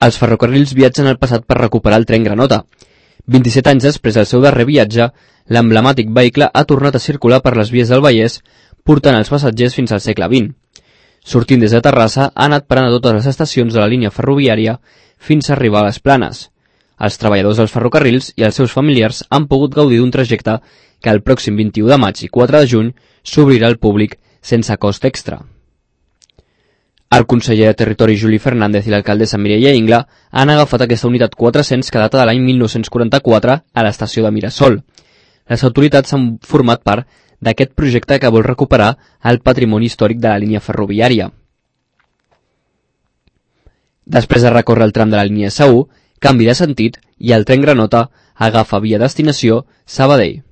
Els ferrocarrils viatgen al passat per recuperar el tren Granota. 27 anys després del seu darrer viatge, l'emblemàtic vehicle ha tornat a circular per les vies del Vallès, portant els passatgers fins al segle XX. Sortint des de Terrassa, ha anat parant a totes les estacions de la línia ferroviària fins a arribar a les Planes. Els treballadors dels ferrocarrils i els seus familiars han pogut gaudir d'un trajecte que el pròxim 21 de maig i 4 de juny s'obrirà al públic sense cost extra. El conseller de Territori Juli Fernández i l'alcaldessa Mireia Ingla han agafat aquesta unitat 400 que data de l'any 1944 a l'estació de Mirasol. Les autoritats han format part d'aquest projecte que vol recuperar el patrimoni històric de la línia ferroviària. Després de recórrer el tram de la línia S1, canvi de sentit i el tren Granota agafa via destinació Sabadell.